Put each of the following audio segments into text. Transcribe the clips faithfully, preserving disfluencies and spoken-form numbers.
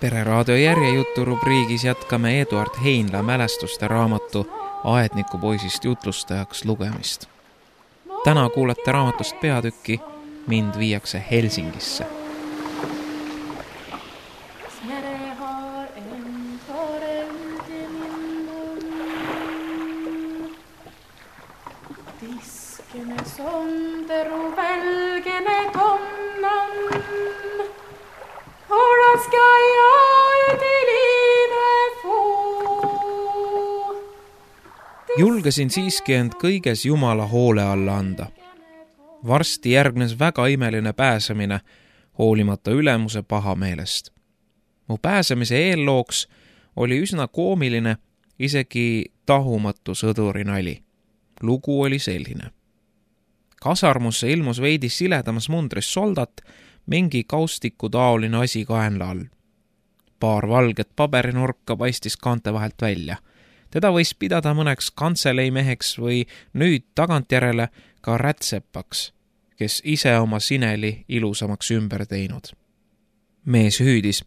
Pereraadio järjejuttu rubriigis jätkame Eduard Heinla mälestuste raamatu Aedniku poisist jutlustajaks lugemist. Täna kuulete raamatust peatükki Mind viiakse Helsingisse. Julgesin siiski end kõiges Jumala hoole alla anda. Varsti järgnes väga imeline pääsemine, hoolimata ülemuse pahameelest. Mu pääsemise eellooks oli üsna koomiline, isegi tahumatu sõduri nali. Lugu oli selline. Kasarmusse ilmus veidi siledamas mundris soldat, mingi kaustiku taoline asi kaenla all. Paar valget paberinurka paistis kaante vahelt välja. Teda võis pidada mõneks kantseleimeheks või nüüd tagantjärele ka rätsepaks, kes ise oma sineli ilusamaks ümber teinud. Mees hüüdis,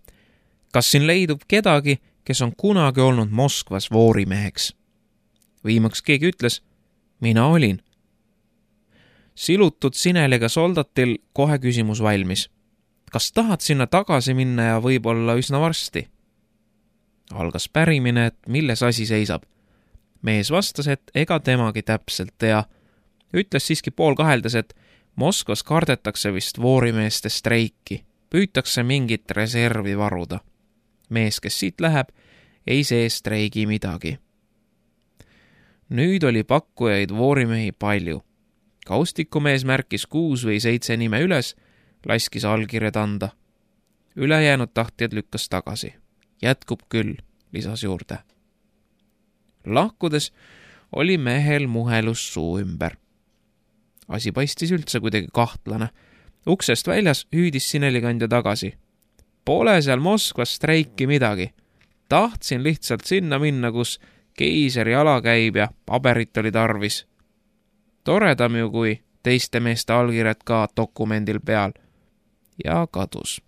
kas siin leidub kedagi, kes on kunagi olnud Moskvas voorimeheks? Viimaks keegi ütles, mina olin. Silutud sineliga soldatil kohe küsimus valmis. Kas tahad sinna tagasi minna ja võib-olla üsna varsti? Algas pärimine, et milles asi seisab. Mees vastas, et ega temagi täpselt tea. Ütles siiski pool kaheldes, et Moskvas kardetakse vist voorimeeste streiki. Püütakse mingit reservi varuda. Mees, kes siit läheb, ei see streigi midagi. Nüüd oli pakkujaid voorimehi palju. Kaustikumees märkis kuus või seitse nime üles, laskis allkirjad anda. Ülejäänud tahtjad lükkas tagasi. Jätkub küll, lisas juurde. Lahkudes oli mehel muhelus suu ümber. Asi paistis üldse kuidagi kahtlane. Uksest väljas hüüdis sinelikandja tagasi. Pole seal Moskvas streiki midagi. Tahtsin lihtsalt sinna minna, kus keiseri ala käib ja paberit oli tarvis. Toredam ju kui teiste meeste allkirjad ka dokumendil peal. Ja kadus.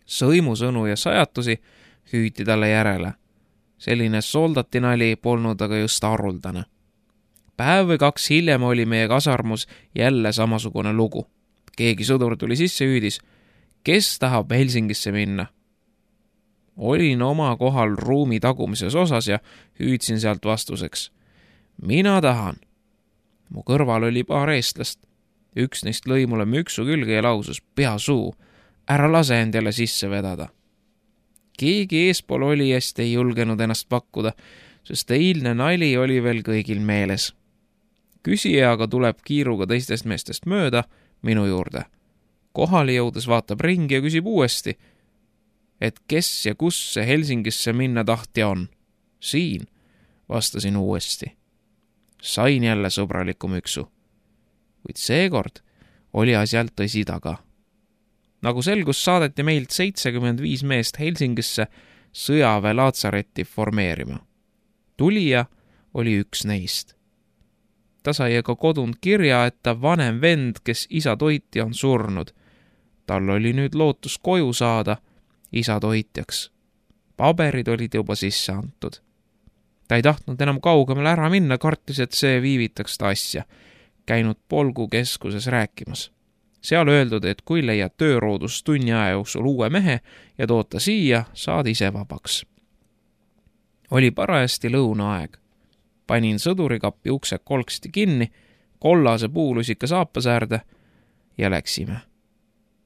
Sõimusõnu ja sajatusi hüüti talle järele. Selline soldatinali polnud aga just haruldane. Päev või kaks hiljem oli meie kasarmus jälle samasugune lugu. Keegi sõdur tuli sisse hüüdis, kes tahab Helsingisse minna? Olin oma kohal ruumi tagumises osas ja hüüdsin sealt vastuseks. Mina tahan. Mu kõrval oli paar eestlast. Üks neist lõi mulle müksu külge ja lausus pea suu. Ära lase end jälle sisse vedada. Keegi eespool olijast ei julgenud ennast pakkuda, sest eilne nali oli veel kõigil meeles. Küsija aga tuleb kiiruga teistest meestest mööda minu juurde. Kohali jõudes vaatab ringi ja küsib uuesti, et kes ja kus see Helsingisse minna tahtja on. Siin, vastasin uuesti. Sain jälle sõbraliku müksu. Kuid seekord oli asjalt tõsi taga. Nagu selgus, saadeti meilt seitsekümmend viis meest Helsingisse sõjaväe laatsaretti formeerima. Tulija oli üks neist. Ta sai aga kodunt kirja, et ta vanem vend, kes isa toitja on surnud. Tal oli nüüd lootus koju saada isa toitjaks. Paberid olid juba sisse antud. Ta ei tahtnud enam kaugemale ära minna, kartis, et see viivitaks ta asja. Käinud Polgu keskuses rääkimas. Seal öeldud, et kui leiad tööroodus tunni aja jooksul uue mehe ja toota siia, saad ise vabaks. Oli parajasti lõunaaeg. Panin sõdurikappi ukse kolksti kinni, kollase puulusika saapasäärde ja läksime.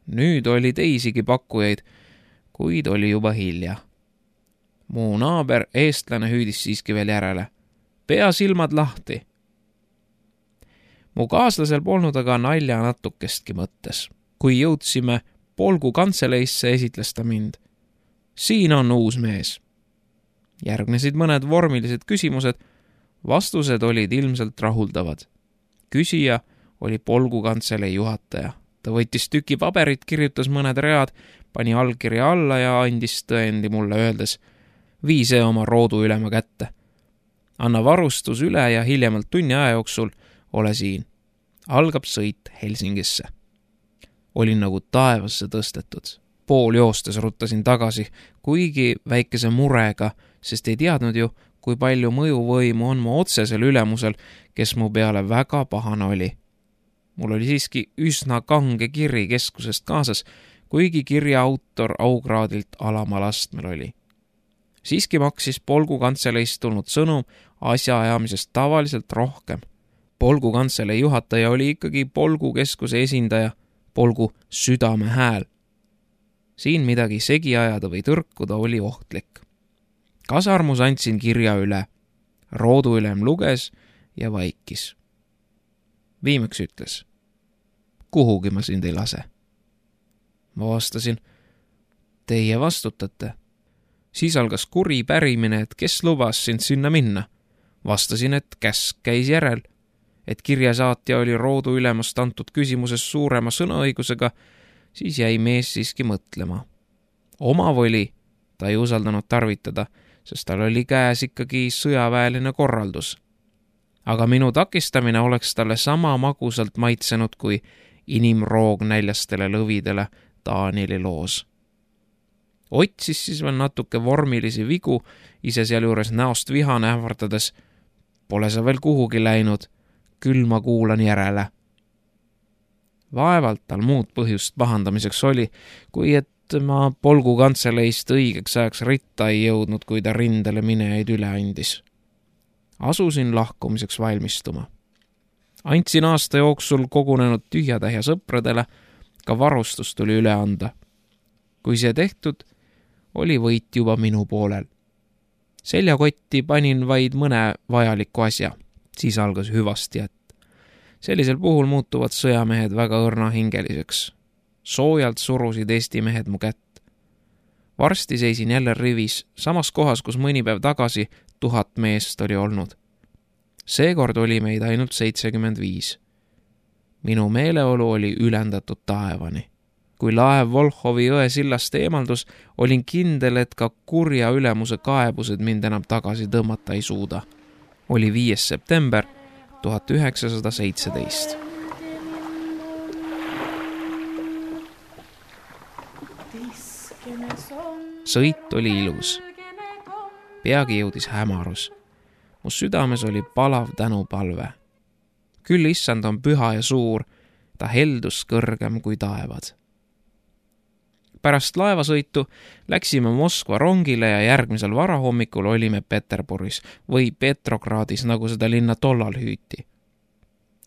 Nüüd oli teisigi pakkujaid, kuid oli juba hilja. Mu naaber eestlane hüüdis siiski veel järele. Pea silmad lahti. Mu kaaslasel polnud aga nalja natukestki mõttes. Kui jõudsime Polgu kantseleisse, esitles ta mind. Siin on uus mees. Järgnesid mõned vormilised küsimused, vastused olid ilmselt rahuldavad. Küsija oli Polgu kantsele juhataja. Ta võttis tüki paberit, kirjutas mõned read, pani allkirja alla ja andis tõendi mulle öeldes, vii see oma roodu ülema kätte. Anna varustus üle ja hiljemalt tunni aja jooksul ole siin. algab sõit Helsingisse. Olin nagu taevasse tõstetud. Pool joostes ruttasin tagasi, kuigi väikese murega, sest ei teadnud ju, kui palju mõjuvõimu on mu otsesel ülemusel, kes mu peale väga pahane oli. Mul oli siiski üsna kange kiri keskusest kaasas, kuigi kirja autor aukraadilt alamal astmel oli. Siiski maksis Polgu kantseleist tulnud sõnum asjaajamisest tavaliselt rohkem. Polgu kantseleis juhataja oli ikkagi Polgu keskuse esindaja, Polgu südame hääl. Siin midagi segi ajada või tõrkuda oli ohtlik. Kasarmus andsin kirja üle. Rooduülem luges ja vaikis. Viimaks ütles, kuhugi ma sind ei lase. Ma vastasin, teie vastutate. Siis algas kuri pärimine, et kes lubas sind sinna minna. Vastasin, et käsk käis järel, et kirjasaatja oli rooduülemast antud küsimuses suurema sõnaõigusega, siis jäi mees siiski mõtlema. Oma voli ta ei usaldanud tarvitada, sest tal oli käes ikkagi sõjaväeline korraldus. Aga minu takistamine oleks talle sama magusalt maitsenud kui inimroog näljastele lõvidele Taanili loos. Otsis siis veel natuke vormilisi vigu, ise sealjuures näost vihane ähvardades. Pole sa veel kuhugi läinud, küll ma kuulan järele. Vaevalt tal muud põhjust pahandamiseks oli, kui et ma Polgu kantseleist õigeks ajaks ritta ei jõudnud, kui ta rindele minejaid üle andis. Asusin lahkumiseks valmistuma. Andsin aasta jooksul kogunenud tühjatähja sõpradele, ka varustus tuli üle anda. Kui see tehtud, oli võit juba minu poolel. Seljakotti panin vaid mõne vajaliku asja, siis algas hüvasti jätt. Sellisel puhul muutuvad sõjamehed väga õrnahingeliseks. Soojalt surusid Eesti mehed mu kätt. Varsti seisin jälle rivis, samas kohas, kus mõni päev tagasi tuhat meest oli olnud. Seekord oli meid ainult seitsekümmend viis. Minu meeleolu oli ülendatud taevani. Kui laev Volhovi jõe sillast eemaldus, olin kindel, et ka kurja ülemuse kaebused mind enam tagasi tõmmata ei suuda. Oli viies september tuhat üheksasada seitseteist. Sõit oli ilus. Peagi jõudis hämarus. Mu südames oli palav tänupalve. Küll issand on püha ja suur, ta heldus kõrgem kui taevad. Pärast laevasõitu läksime Moskva rongile ja järgmisel varahommikul olime Peterburis või Petrogradis, nagu seda linna tollal hüüti.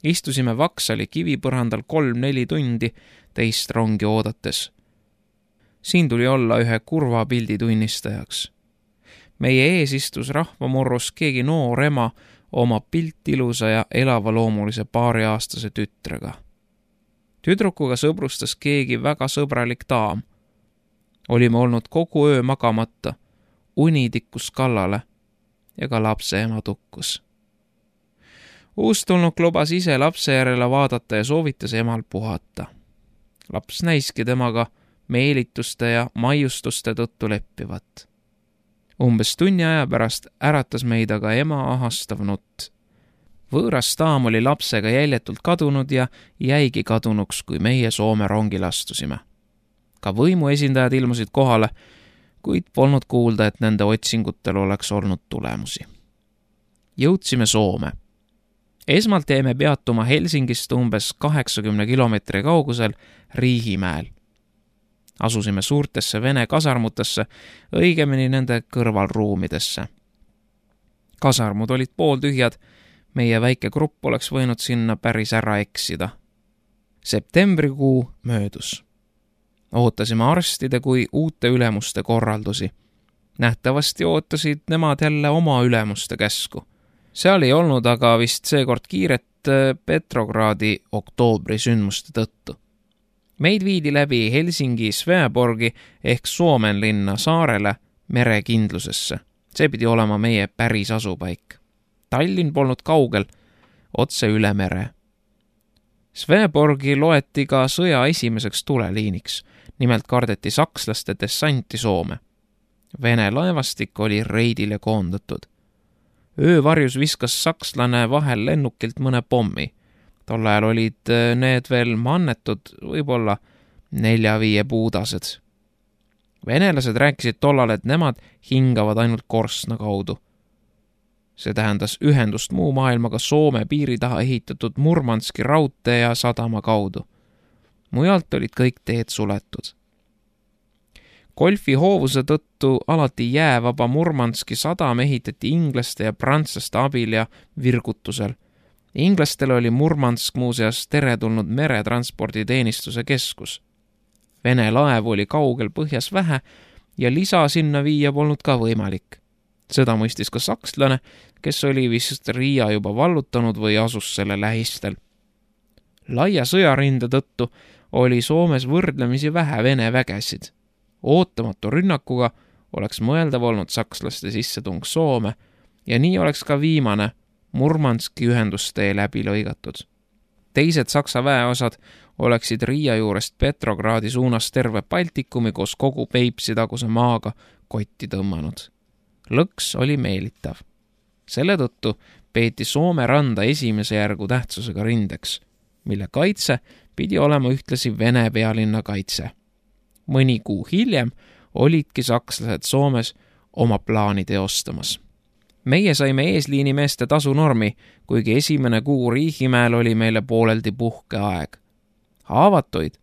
Istusime Vaksali kivipõrandal kolm-neli tundi teist rongi oodates. Siin tuli olla ühe kurva pildi tunnistajaks. Meie ees istus rahvamurrus keegi noor ema oma pilt ilusa ja elavaloomulise paariaastase tütrega. Tüdrukuga sõbrustas keegi väga sõbralik daam. Olime olnud kogu öö magamata, uni tikkus kallale ja ka lapse ema tukkus. Uustulnuk lubas ise lapse järele vaadata ja soovitas emal puhata. Laps näiski temaga meelituste ja maiustuste tõttu leppivat. Umbes tunni aja pärast äratas meid aga ema ahastav nutt. Võõras daam oli lapsega jäljetult kadunud ja jäigi kadunuks, kui meie Soome rongile astusime. Ka võimu esindajad ilmusid kohale, kuid polnud kuulda, et nende otsingutel oleks olnud tulemusi. Jõudsime Soome. Esmalt jäime peatuma Helsingist umbes kaheksakümne kilomeetri kaugusel Riihimäel. Asusime suurtesse Vene kasarmutesse, õigemini nende kõrvalruumidesse. Kasarmud olid pooltühjad, meie väike grupp oleks võinud sinna päris ära eksida. Septembrikuu möödus. Ootasime arstide kui uute ülemuste korraldusi. Nähtavasti ootasid nemad jälle oma ülemuste käsku. Seal ei olnud aga vist seekord kiiret Petrogradi oktoobri sündmuste tõttu. Meid viidi läbi Helsingi Sveaborgi ehk Suomenlinna saarele merekindlusesse. See pidi olema meie päris asupaik. Tallinn polnud kaugel, otse üle mere. Sveaborgi loeti ka sõja esimeseks tuleliiniks. Nimelt kardeti sakslaste dessanti Soome. Vene laevastik oli reidile koondatud. Öövarjus viskas sakslane vahel lennukilt mõne pommi. Tol ajal olid need veel mannetud võib-olla nelja-viie puudased. Venelased rääkisid tollal, et nemad hingavad ainult korstna kaudu. See tähendas ühendust muu maailmaga Soome piiri taha ehitatud Murmanski raudtee ja sadama kaudu. Mujalt olid kõik teed suletud. Golfi hoovuse tõttu alati jäävaba Murmanski sadam ehitati inglaste ja prantslaste abil ja virgutusel. Inglastele oli Murmansk muuseas teretulnud meretransporditeenistuse keskus. Vene laev oli kaugel põhjas vähe ja lisa sinna viia polnud ka võimalik. Seda mõistis ka sakslane, kes oli vist Riia juba vallutanud või asus selle lähistel. Laia sõjarinde tõttu oli Soomes võrdlemisi vähe Vene vägesid. Ootamatu rünnakuga oleks mõeldav olnud sakslaste sissetung Soome ja nii oleks ka viimane Murmanski ühendustee läbi lõigatud. Teised saksa väeosad oleksid Riia juurest Petrogradi suunas terve Baltikumi koos kogu Peipsi taguse maaga kotti tõmmanud. Lõks oli meelitav. Selle tõttu peeti Soome randa esimese järgu tähtsusega rindeks, mille kaitse pidi olema ühtlasi Vene pealinna kaitse. Mõni kuu hiljem olidki sakslased Soomes oma plaani teostamas. Meie saime eesliinimeeste tasunormi, kuigi esimene kuu Riihimäel oli meile pooleldi puhkeaeg. Haavatuid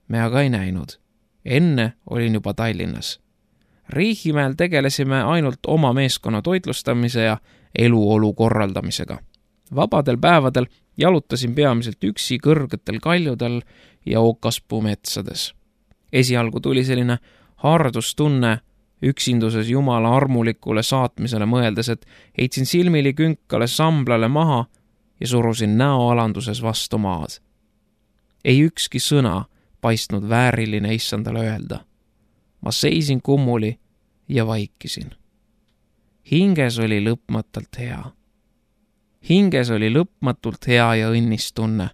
me aga ei näinud. Enne olin juba Tallinnas. Riihimäel tegelesime ainult oma meeskonna toitlustamise ja eluolu korraldamisega. Vabadel päevadel jalutasin peamiselt üksi kõrgetel kaljudel ja Okaspuu metsades. Esialgu tuli selline hardustunne üksinduses Jumala armulikule saatmisele mõeldes, et heitsin silmili künkale samblale maha ja surusin näoalanduses vastu maad. Ei ükski sõna paistnud vääriline issandale öelda. Ma seisin kummuli ja vaikisin. Hinges oli lõpmatult hea. Hinges oli lõpmatult hea ja õnnistunne.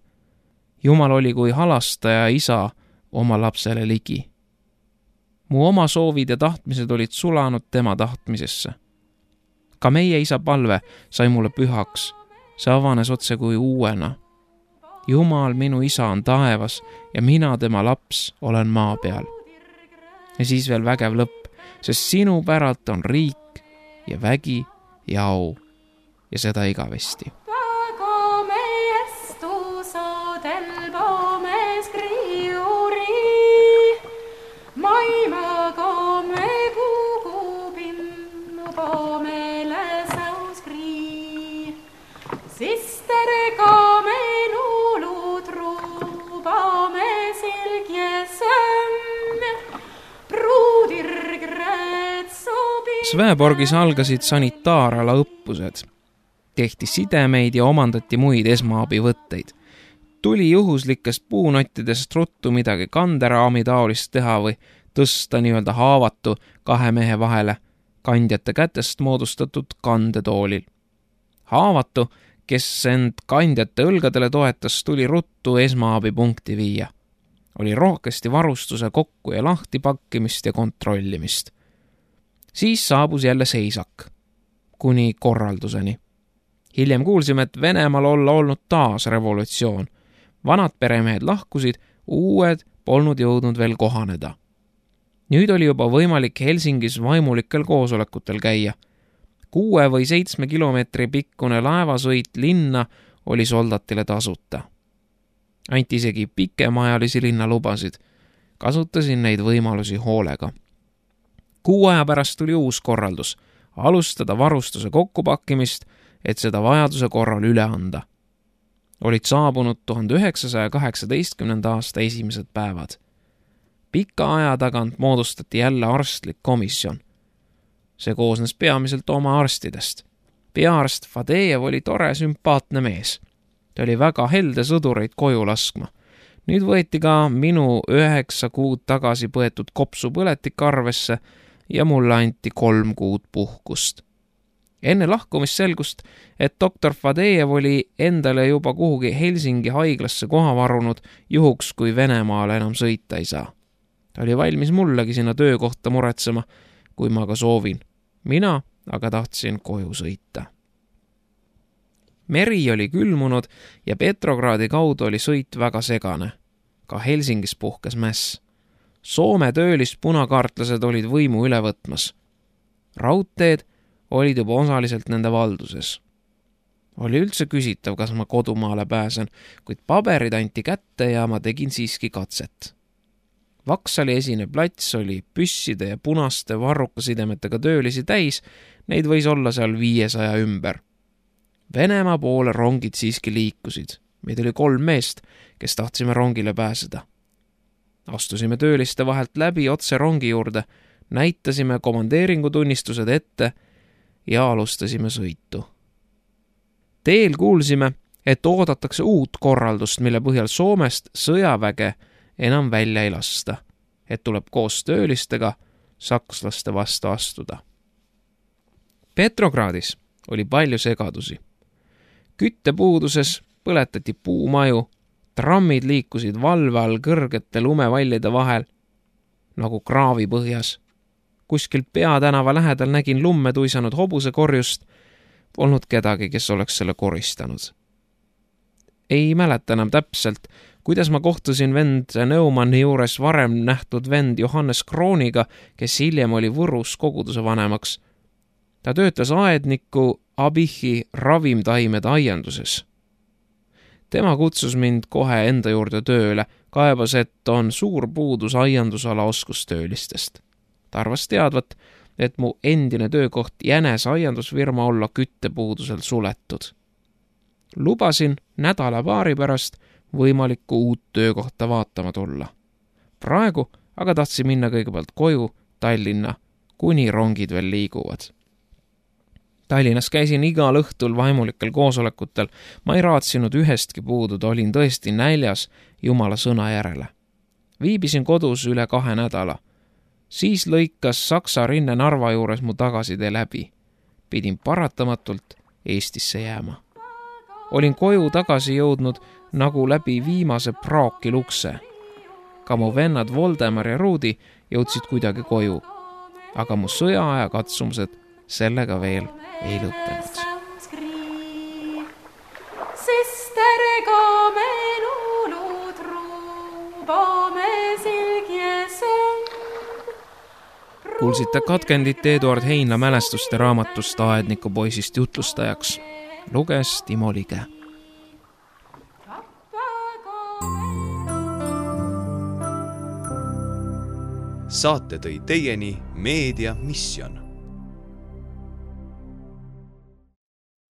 Jumal oli kui halastaja isa oma lapsele ligi. Mu oma soovid ja tahtmised olid sulanud tema tahtmisesse. Ka meie isa palve sai mulle pühaks. See avanes otse kui uuena. Jumal, minu isa on taevas ja mina tema laps olen maa peal. Ja siis veel vägev lõpp, sest sinu päralt on riik ja vägi ja au ja seda igavesti. Sveeborgis algasid sanitaarala õppused. Tehti sidemeid ja omandati muid esmaabivõtteid. Tuli juhuslikest puunottidest ruttu midagi kanderaami taolist teha või tõsta nii-öelda haavatu kahe mehe vahele kandjate kätest moodustatud kandetoolil. Haavatu, kes end kandjate õlgadele toetas, tuli ruttu esmaabipunkti viia. Oli rohkesti varustuse kokku ja lahti pakkimist ja kontrollimist. Siis saabus jälle seisak, kuni korralduseni. Hiljem kuulsime, et Venemaal olla olnud taas revolutsioon. Vanad peremehed lahkusid, uued polnud jõudnud veel kohaneda. Nüüd oli juba võimalik Helsingis vaimulikel koosolekutel käia. Kuue või seitsme kilomeetri pikkune laevasõit linna oli soldatile tasuta. Anti isegi pikemaajalisi linnalubasid. Kasutasin neid võimalusi hoolega. Kuu aja pärast tuli uus korraldus, alustada varustuse kokkupakkimist, et seda vajaduse korral üle anda. Olid saabunud tuhande üheksasaja kaheksateistkümnenda aasta esimesed päevad. Pika aja tagant moodustati jälle arstlik komisjon. See koosnes peamiselt oma arstidest. Peaarst Fadejev oli tore sümpaatne mees. Ta oli väga helde sõdureid koju laskma. Nüüd võeti ka minu üheksa kuud tagasi põetud kopsu põletik arvesse ja mulle anti kolm kuud puhkust. Enne lahkumist selgust, et doktor Fadejev oli endale juba kuhugi Helsingi haiglasse koha varunud juhuks, kui Venemaale enam sõita ei saa. Ta oli valmis mullegi sinna töökohta muretsema, kui ma ka soovin. Mina aga tahtsin koju sõita. Meri oli külmunud ja Petrogradi kaudu oli sõit väga segane. Ka Helsingis puhkes mäss. Soome töölist punakaartlased olid võimu üle võtmas. Raudteed olid juba osaliselt nende valduses. Oli üldse küsitav, kas ma kodumaale pääsen, kuid paberid anti kätte ja ma tegin siiski katset. Vaksali esine plats oli püsside ja punaste varrukasidemetega töölisi täis, neid võis olla seal viiesaja ümber. Venemaa poole rongid siiski liikusid. Meid oli kolm meest, kes tahtsime rongile pääseda. Astusime tööliste vahelt läbi otse rongi juurde, näitasime komandeeringutunnistused ette ja alustasime sõitu. Teel kuulsime, et oodatakse uut korraldust, mille põhjal Soomest sõjaväge enam välja ei lasta, et tuleb koos töölistega sakslaste vastu astuda. Petrogradis oli palju segadusi. Küttepuuduses põletati puumaju, trammid liikusid valve all kõrgete lumevallide vahel, nagu kraavi põhjas. Kuskil peatänava lähedal nägin lumme tuisanud hobuse korjust, polnud kedagi, kes oleks selle koristanud. Ei mäleta enam täpselt, kuidas ma kohtusin vend Neumanni juures varem nähtud vend Johannes Krooniga, kes hiljem oli Võrus koguduse vanemaks. Ta töötas aedniku Abihi ravimtaimede aianduses. Tema kutsus mind kohe enda juurde tööle, kaebas, et on suur puudus aiandusala oskustöölistest. Ta arvas teadvat, et mu endine töökoht jänes aiandusfirma olla küttepuudusel suletud. Lubasin nädala paari pärast võimalikku uut töökohta vaatama tulla. Praegu aga tahtsin minna kõigepealt koju Tallinna, kuni rongid veel liiguvad. Tallinnas käisin igal õhtul vaimulikel koosolekutel. Ma ei raatsinud ühestki puududa, olin tõesti näljas Jumala sõna järele. Viibisin kodus üle kahe nädala. Siis lõikas Saksa rinne Narva juures mu tagasitee läbi. Pidin paratamatult Eestisse jääma. Olin koju tagasi jõudnud nagu läbi viimase praaki lukse. Ka mu vennad Voldemar ja Ruudi jõudsid kuidagi koju. Aga mu sõjaaja katsumused sellega veel ei lõppenud. Kuulsite katkendit Eduard Heinla mälestuste raamatust Aedniku poisist jutlustajaks. Luges Timo Lige. Saate tõi teieni Meedia Mission.